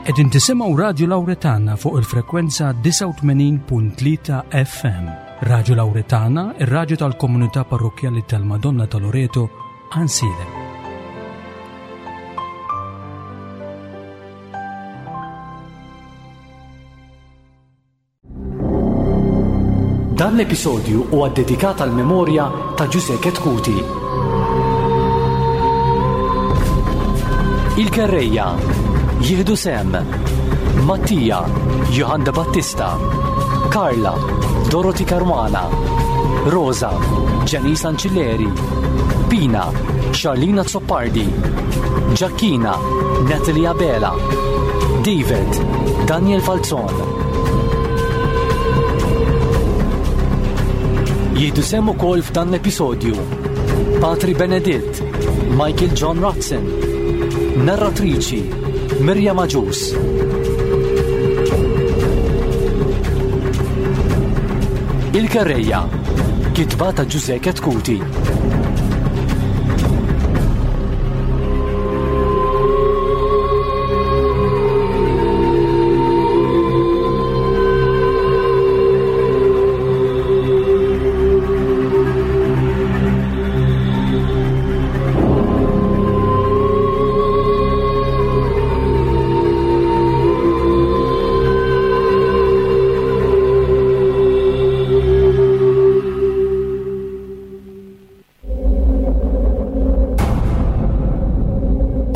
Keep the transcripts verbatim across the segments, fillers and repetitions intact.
Qegħdin tisimgħu Radio Lauretana fuq il-frekwenza disgħa u tmenin punt tlieta F M. Radio Lauretana, ir-radju tal-Komunità Parrokkjali tal-Madonna ta' Loreto, Għajnsielem. Dan l-episodju huwa ddedikat għal memorja ta' Ġużè Chetcuti. Il-Kerrejja jieħdu sehem Mattia, Johann de Battista, Carla, Dorothy Caruana, Rosa, Janice Ancilleri, Pina, Charlina Zoppardi, Giacchina, Natalie Abela, David, Daniel Falzon. Jieħdu sehem ukoll f'dan l-episodju Patri Beneditt, Michael John Watson, narratriċi Mirjam Agius. Il-Kerrejja, kitba ta' Ġużè Chetcuti.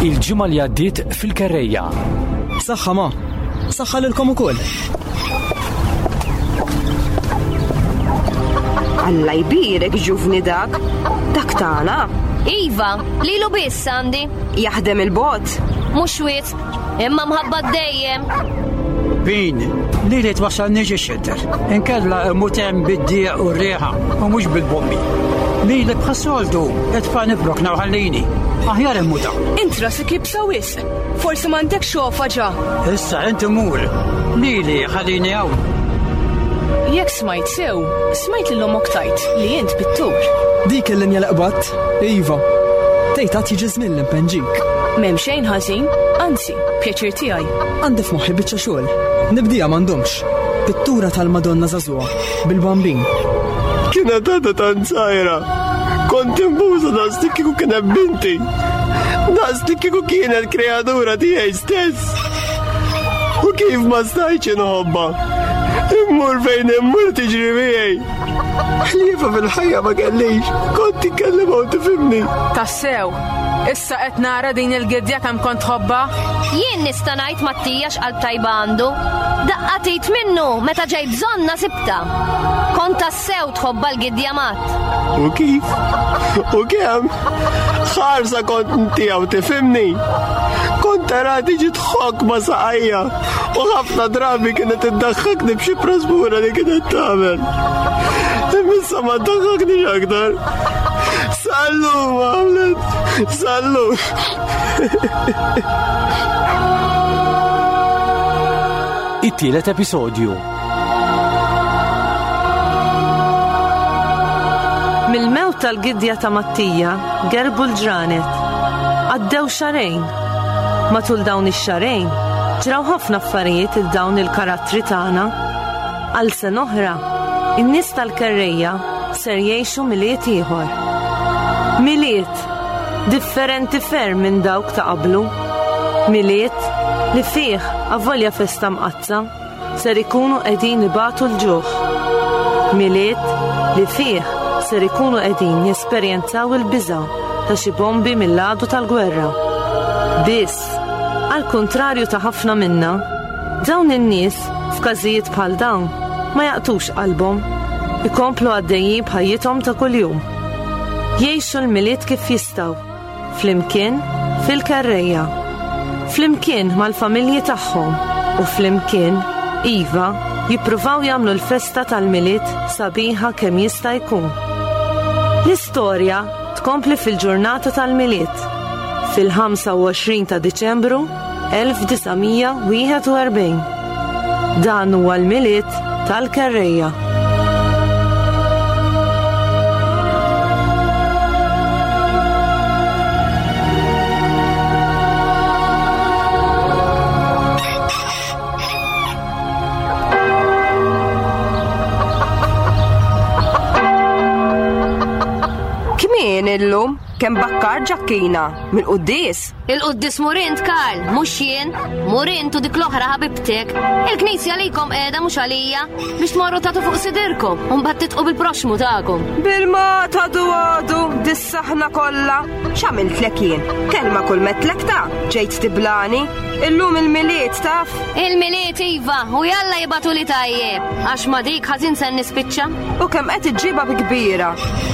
Il-ġimgħa li għaddiet fil-Kerrejja. Saħħa ma, saħħa lilkom ukoll. Alla jbierek ġuvni dak, dak tagħna. Iva, lilu biss għandi. Jaħdem il-bot. Mhux wisq, imma mħabba dejjem. Bin, li li twassalni ġi xedder. Inkella mutem bid-dieq u r-riħa u mhux bil-bombi. Li li bħas-soltu, itfa' nibrok nawħallini. Aħjar immuta. Int rasek jibsa wisq. Forsi m'għandek xofa ġa. Issa inti mur. Lili ħallini hawn. Jekk smajt sew, smajt lil ommok tajt li int pittur. Dik il-linja li qbadt, iva. Tgħid għad jiġi żmien l-impenġik. M'hemm xejn ħażin, anzi, pjaċir tiegħi. Għandi f'moħħi biċċa xogħol. Nibdija m'għandhomx. Pittura tal-Madonna żagħżugħa bil-bambin. Kienet għadha tant żgħira. Kont imbuża daqs li kieku kienet binti. Daqs li kieku kienet kreatura tiegħi stess. U kif ma stajtx inħobbha? Immur fejn immur tiġri miegħi. Ħliefa fil-ħajja ma kellix. Kont titkellem u tifhimni. Tassew, issa qed nara din il-gidja kemm kont tħobbha? Jien nista' ngħid Mattija x'qalb tajba għandu. Daqqa tgħid minnu meta ġej bżonna sibta. Kont tassew tħobbha l-gidja mat. U kif? U kemm? Ħarsa kont ntiegħu tifhimni. Kont tara tiġi tħokk ma' saqajja u ħafna drabi kienet iddaħħakni b'xi prasbura li kienet tagħmel. Imma ma ddaħħaknix aktar. Sallu, għamlet, sallu. It-tielet episodju. Mill-mewt tal-gidja ta' Mattija gerbu l-ġranet. Għaddew xahrejn. Matul dawn ix-xahrejn ġraw ħafna affarijiet il dawn il-karattri tagħna. Għal sena oħra, in-nies tal-Kerrejja ser jgħixu Milied ieħor. Milied differenti ferm minn dawk ta' qablu. Milied li fih avolja festa mqaddsa ser ikunu qegħdin ibatu l-ġuħ. Milied li fih ser ikunu qegħdin jesperjenzaw il-biża' ta' xi bombi mill-għadu tal-gwerra. Biss, għal kontrarju ta' ħafna minna, dawn in-nies f'każijiet bħal dawn ma jaqtux qalbhom, ikomplu għaddejjin b'ħajjithom ta' kuljum. Jgħixu l-Milied kif jistgħu, flimkien fil-Kerrejja, flimkien mal-familji tagħhom u flimkien, iva, jippruvaw jagħmlu l-festa tal-Milied sabiħa kemm jista' jkun. L-istorja tkompli fil-ġurnata tal-Milied, fil-ħamsa u għoxrin ta' Diċembru elf disa' mija wieħed u erbgħin. Dan huwa l-Milied tal-Kerrejja. kemm bakkar Ġakkina, mill-quddies. Il-quddies mur int, Karl, mhux jien. Mur int u dik l-oħra ħabibtek. Il-knisja likom qiegħda mhux għalija biex tmorru tagħtu fuq sidirkom u mbagħad titqu bil-proxmu tagħkom. Bil-ma tadu għadu, dis-saħna kollha. X'għamiltlek jien? Kelma kull metlek ta' ġejt tiblani. Illum il-Milied taf? Il-Milied iva, u jalla jibatu li tajjeb, għax ma dik ħażin se nispiċċa. U kemm qed iġġibha bi kbira.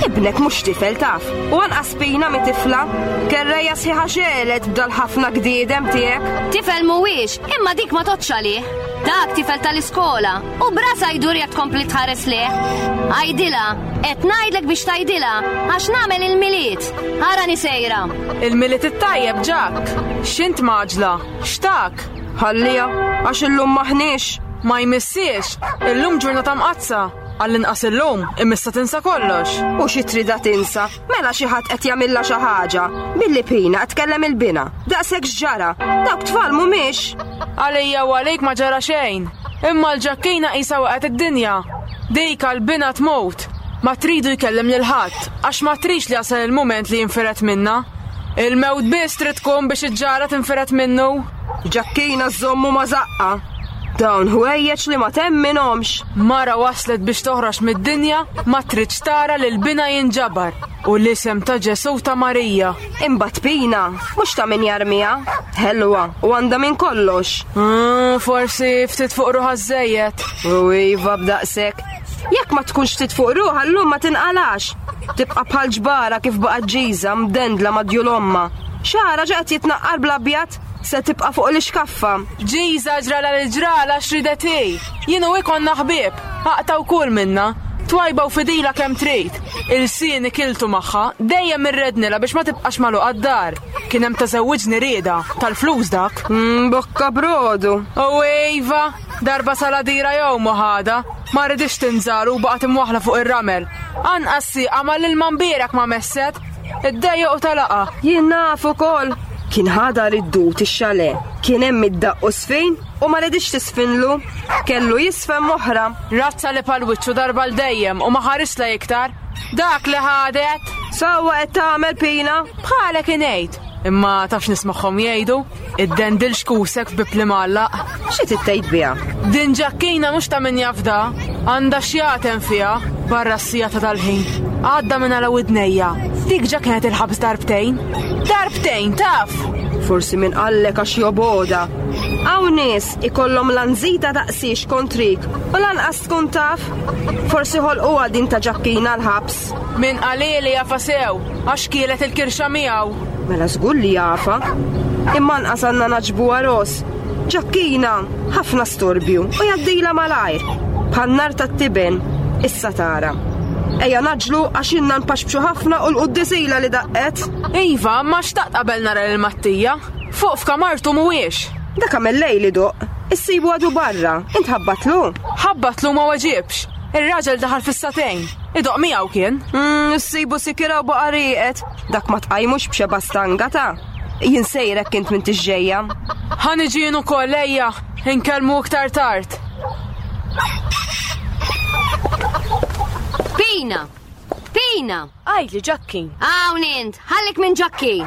Ibnek mhux tifel taf, u anqas pina mi tifla. Kerreja sħiħa xelet b'dal ħafna gdiedem tiegħek. Tifel mhuwiex, imma dik ma tgħoddx għalih. Dak tifel tal-iskola, u brasa jdur jekk tkompli tħares leh. Għajdilha, qed ngħidlek biex tgħidilha, għax nagħmel il-Milied. Arani sejra. Il-Milied it-tajjeb, Ġak. X'int maġla? X'tak? Ħallija, għax illum maħniex. Ma jmissiex, illum ġurnata mqazza. Għall-inqas illum, imissa tinsa kollox. U xi trida tinsa, mela xi ħadd qed jagħmilha xi ħaġa. Billi Pina qed tkellem il-bina. Daqshekk x'ġara, dawk tfal mhumiex. Għalija u għalik ma ġara xejn. Imma l-Ġakkina qisha waqgħet id-dinja. Dik għall-bina tmut. Ma tridu jkellem lil ħadd, għax ma trix li jasal il-mument li jinfiret minna. Il-mewt biss trid tkun biex iġġara tinfiret minnu. Ġakkina żommu ma zaqqa. Dawn ħwejjeġ li ma temminhomx. Mara waslet biex toħroġ mid-dinja ma tridx tara lil bina jinġabar u l-isem ta' Ġesu ta' Marija. Imbagħad Pina, mhux ta' min jarmiha. Ħelwa u għandha minn kollox. Mm, forsi ftit fuq ruħha żejjed. U iva b'daqshekk. Jekk ma tkunx ftit fuq ruħha llum ma tinqalax. Tibqa' bħal ġbara kif baqgħet ġiża mdendla ma' djul omma. Xara ġa qed jitnaqqar bl-abjad, se tibqa' fuq l-ixkaffa. Ġiża ġrala li ġrala x'ridet hi. Jien u ikonna ħbieb, aqtaw kull minna. Twajba u fidila kemm trid. Il-sieni kiltu magħha, dejjem irrednilha biex ma tibqax magħluqa d-dar. Kien hemm tażewwiġni rieda, tal-flus dak. Mm, bokka brodu. U iva, darba saladira jew moħada, ma ridix tinżal u baqgħet imwaħla fuq ir-ramel. Anqas sieqa mal-ilma mbierek ma messet. Iddejjeq u talaqa. Jien naf ukoll. Kien ħadha id-dut ix-xale. Kien hemm id-daqq u sfin u ma ridix tisfinlu. Kellu jisfen moħra. Razza li pal-wiċċu darba l dejjem u ma ħarisla iktar. Dak li ħadet. Sewwa qed tagħmel Pina. Bħalek ingħid. Imma tafx nismagħhom jgħidu, id-dendil xkusek f'bib li mgħallaq. Xi tittejt biha? Din Ġakkina mhux ta' min jafda, għandha x'jagħtem fiha barra s-sija ta' dal-ħin. Għadda minn għala widnejja. Dik ġa kienet il-ħabs darbtejn. Darbtejn, taf! Forsi minn qallek għax joboda. Hawn nies ikollhom lanżita daqsiex kontrik u lanqas tkun taf. Forsi ħolquha din ta' Ġakkina l-ħabs. Min qalili jafa sew, għax kielet il-kirxa miegħu. Mela żgur li jafa. Imma anqas għandna naġbuha ros. Ġakkina, ħafna storbju u jgħaddilha malajr. Bħan-nar tat-tiben, issa tara. Ejja naġlu għax inna npaxbxu ħafna u l-quddisila li daqqet. Iva, ma xtaqt qabel nara lil Mattija. Fuq f'kamartu mhuwiex. Dak għamel lejl idoqq. Issibu għadu barra. Int ħabbatlu? Ħabbatlu ma weġibx. Ir-raġel daħal fis-satejn. Idoqq miegħu kien. Mm, issibu sikira u baqa' rieqed. Dak ma tqajmux b'xeba stanga ta'. Jien sejrek kint minn tiġġejja. Ħa niġi jien ukoll ejja, inkellmu iktar tard. Pina! Pina! Għajdli Ġakkin. Hawn int, ħallik minn Ġakkin.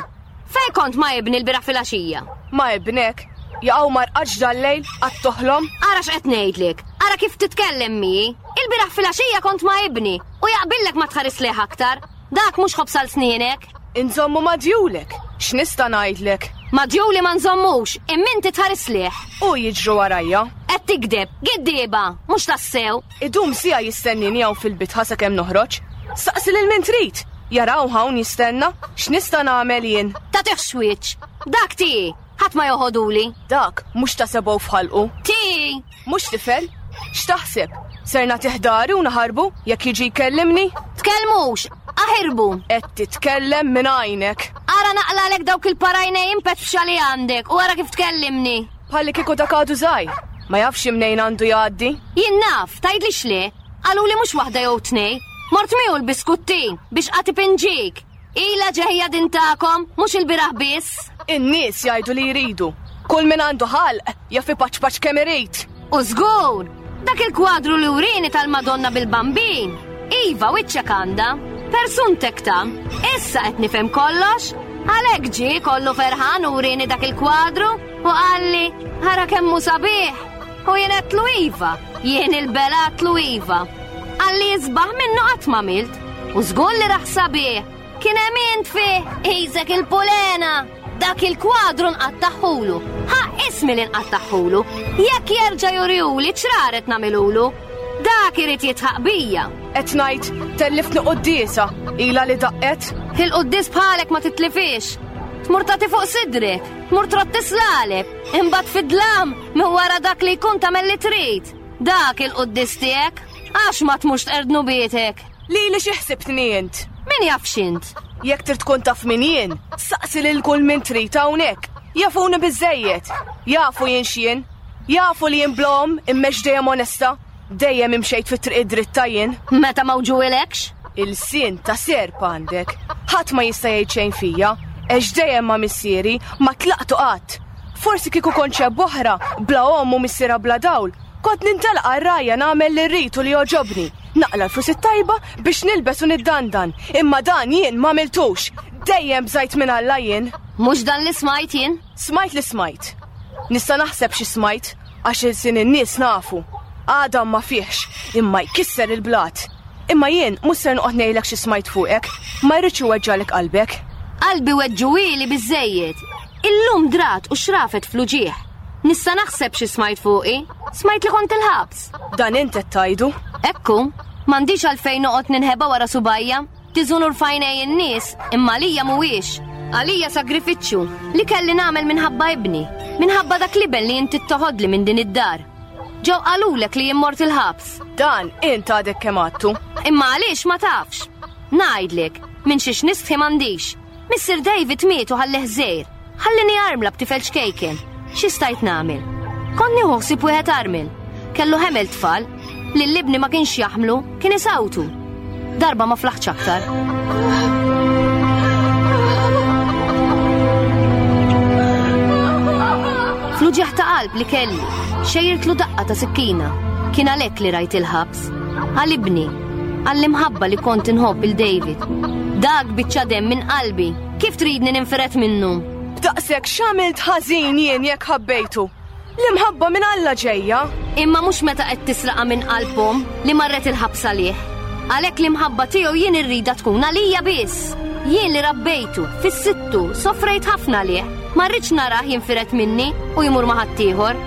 Fej kont ma' ibni l-biraħ filgħaxija? Ma' ibnek? Jaqgħu ma rqadx dal-lejl għad toħlom? Ara x'qed ngħidlek, ara kif titkellem miegħi. Il-biraħ filgħaxija kont ma' ibni u jaqbillek ma tħares lejh aktar. Dak mhux ħobż għal snienek. Inżommu ma' djulek, x'nista' ngħidlek? Ma' djuli ma nżommux, imma inti tħares lejh. U jiġru warajja. Qed tikdeb, giddieba, mhux tassew. Idum sija jistennini hawn fil-bitħa sakemm noħroġ. Saqsi lil min trid. Jaraw hawn jistenna, x'nista' nagħmel jien? Tagħtih wiċċ. Dak tiegħi, ħadd ma joħoduli. Dak mhux ta' sebgħu f'ħalqu. Tiegħi. Mhux tifel? X'taħseb? Ser nagħtih dari u naħarbu jekk jiġi jkellimni? Tkellmux, aħirbu. Qed titkellem minn għajnek. Ara naqlalek dawk il-parajnej impetfxa li għandek u ara kif tkellimni. Bħalli kieku dak għadu żgħir. Ma jafx imnejn għandu jgħaddi. Jien naf, tgħidlix le. Qaluli mhux waħda jew tnej. Mort miegħu l-biskuttin biex qati pinġik. Ila ġejja din tagħkom, mhux il-biraħ biss. In-nies jgħidu li jridu. Kull min għandu ħalq jaf ipaċpaċ kemm irid. U żgur, dak il-kwadru li urini tal-Madonna bil-Bambin. Iva, wiċċek għandha. Persuntek ta' issa qed nifhem kollox. Għalhekk ġie kollu ferħan u wrieni dak il-kwadru u qalli ħara kemm hu sabiħ. U jien għedtlu iva, jien il-belatlu iva. Qalli isbaħ minnu qatt ma milt. U żgur li raħ sabiħ. Kien hemm int fih, qisek il-pulena. Dak il-kwadru nqattaħħulu. Ħa ismi li nqattaħħulu. Jekk jerġa' jurihuli ċraret nagħmilulu. Dak irid jitħaq bija. Qed ngħid telliftni quddiesa, ilha li daqqet. Il-quddies bħalek ma titlifix. Tmur tagħti fuq sidrek, tmur trott tislalek, imbagħad fid-dlam minn wara dak li jkun tagħmel li trid. Dak il-quddies tiegħek, għax ma tmurx tqerdnu bietek. Lili xi ħsibtni int? Min jaf x'int? Jekk trid tkun taf min jien, saqsi lil kull min trid hawnhekk. Jafuni biżejjed, jafu jien x'jien, jafu li jien blom immex dejjem onesta, dejjem imxejt fit-triq id-dritta jien. Meta ma wġuilekx? Il-sien ta' serp għandek. Ħadd ma jista' jgħid xejn fija, għax dejjem ma' missieri ma tlaqtu qatt. Forsi kieku kont xeb oħra, bla omm u missiera bla dawl, kont nintelaq għar-rajja nagħmel li rrid u li jogħġobni. Naqla l-flus it-tajba biex nilbes u niddandan, imma dan jien ma għamiltux. Dejjem bżajt minn Alla jien. Mhux dan li smajt jien? Smajt li smajt. Nista' naħseb xi smajt, għax il-sin in-nies nafu. Għadam ma fihx, imma jkisser il-blat. Imma jien mhux ser noqgħod ngħidlek xi smajt fuqek, ma jridx iweġġalek qalbek. Qalbi weġġuhieli biżejjed. Illum drat u xrafet fl-uġieħ. Nista' naħseb xi smajt fuqi, smajt li kont il-ħabs. Dan int qed tgħidu. Ekku, m'għandix għalfejn noqgħod ninħeba wara subajja. Tiżunur f'għajnej in-nies, imma għalija mhuwiex. Għalija sagrifiċċju li kelli nagħmel minħabba ibni, minħabba dak l-iben li inti toħodli minn din id-dar. Ġew qalulek li jien mort il-ħabs. Dan int għadek kemm għadtu. Imma għaliex ma tafx? Ngħidlek, minn xiex nistħi m'għandix. Missier David miet u ħallih żgħir. Ħallini armla b'tifel ċkejken. Xi stajt nagħmel? Kont nieħu ħsieb wieħed armel. Kellu ħemel tfal, li l-ibni ma kienx jaħmlu, kien isawtu. Darba ma flaħx aktar. Fl-uġigħ ta' qalb li kelli, xejirtlu daqqa ta' sikkina. Kien għalhekk li rajt il-ħabs. Għal ibni, għall-imħabba li kont inħobb il David. Dak biċċa demm minn qalbi, kif tridni ninferet minnu? B'daqshekk x'għamilt ħażin jien jekk ħabbejtu? L-imħabba minn Alla ġejja. Imma mhux meta qed tisraqa minn qalbhom li marret il-ħabs għalih. Għalhekk l-imħabba tiegħu jien irrida tkun għalija biss. Jien li rabbejtu, fis-sittu, soffrejt ħafna għalih. Ma rridx narah jinfiret minni u jmur ma' ħaddieħor.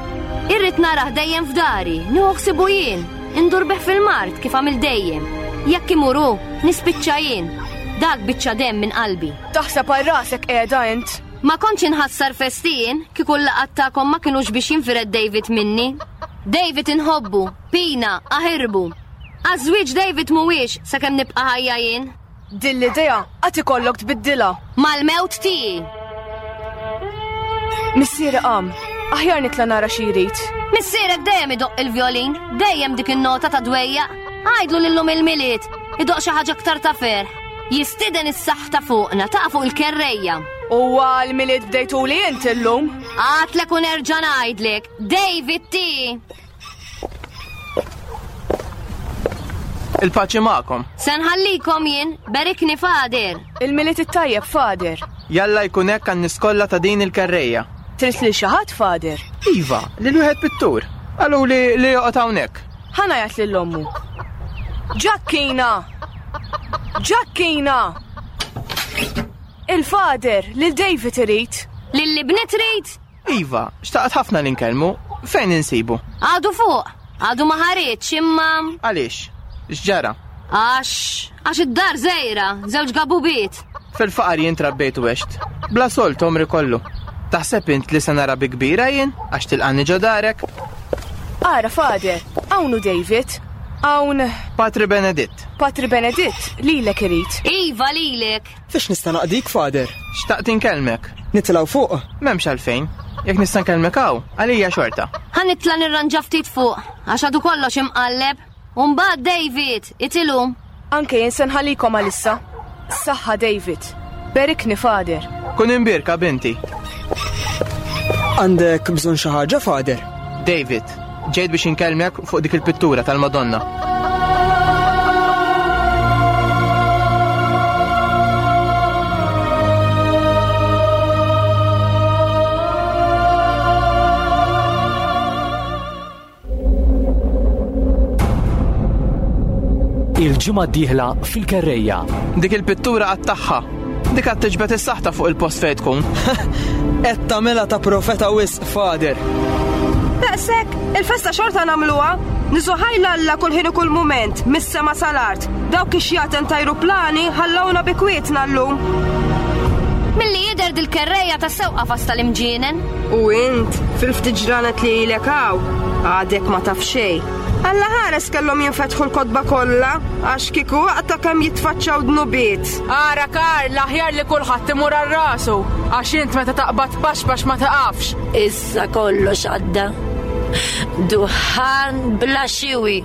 Irrid narah dejjem f'dari, nieħu ħsibu jien, indur bih fil-mart kif għamil dejjem. Jekk imur hu, nispiċċa jien. Dak biċċa demm minn qalbi. Taħseb għal rasek qiegħda int. Ma kontx inħassar festin kieku l-laqgħat tagħkom ma kinux biex jinfired David minni. David inħobbu, Pina, aħirbu. Għaż-żwieġ David mhuwiex sakemm nibqa' ħajja jien. Din l-idea qatt ikollok tbiddilha. Mal-mewt tiegħi. Missieri qam, aħjar nitla' nara xi jrid. Missierek dejjem idoqq il-vjolin, dejjem dik in-nota ta' dwejjaq. Għidlu lillum il-Milied, idoqq xi ħaġa aktar ta' ferħ. Jistieden is-saħħ ta' fuqna, taqa' fuq il-kerrejja. U għal-Milied bdejtu li int illum? Għatlek u nerġa' ngħidlek, David ti. Il-paċi magħkom. Se nħallikom jien, berikni Fader. Il-Milied it-tajjeb, Fader. Jalla jkun hekk għan-nies kollha ta' din il-kerrejja. Trid lil xi ħadd, Fader? Iva, lil wieħed pittur. Qalu li li joqgħod hawnhekk. Ħa ngħajjat lil ommu. Ġakkina! Ġakkina! Il-Fader, lil David irid. Lil ibni trid? Iva, xtaqt ħafna li nkellmu. Fejn insibu? Għadu fuq, għadu ma ħareġ imma. Għaliex? X'ġara? Għax, għax id-dar żgħira, żewġ gabubiet. Fil-faqar jien trabbejt u għext. Bla solt għomri kollu. Taħseb int li se nara bi kbira jien għax tilqani ġo darek? Ara, Fader, hawn hu David. Hawn Patri Beneditt. Patri Beneditt, lilek irid. Iva, lilek. Fiex nista' naqdik, Fader? Xtaqt inkellmek. Nitilgħu fuq? M'hemmx għalfejn. Jekk nista' nkellmek hawn, għalija xorta. Ħa nitla' nirranġa ftit fuq, għax għadu kollox imqalleb. U mbagħad David, itilu. Anke jien se nħallikom għalissa. Saħħa David. Berikni, Fader. Kun imbirka, binti. Għandek bżonn xi ħaġa, Fader? David, ġejt biex inkellmek fuq dik il-pittura tal-Madonna. Il-ġimgħa d-dieħla fil-Kerrejja. Dik il-pittura għad tagħha. Dik għad tiġbed is-saħta fuq il-post fejn tkun. Qed tagħmilha ta' profeta wisq, Father. Daqshekk, il-festa xorta nagħmluha. Niżżu ħajr 'l Alla kull ħin u kull mument, mis-sema sal-art. Dawk ix-xjaten t'ajruplani ħallawna bi kwietna llum. Milli jidher dil-kerrejja ta' sewqa fasta l-imġienen. U int, fil-ftit ġranet li ilek hawn, għadek ma taf xejn. Alla ħares kellhom jinfetħu l-kotba kollha, għax kieku waqta kemm jitfaċċaw dnubiet. Ara Karl, aħjar li kulħadd imur għal rasu, għax int meta taqbad paxpax ma taqafx. Issa kollox għadda. Duħan bla xiwi.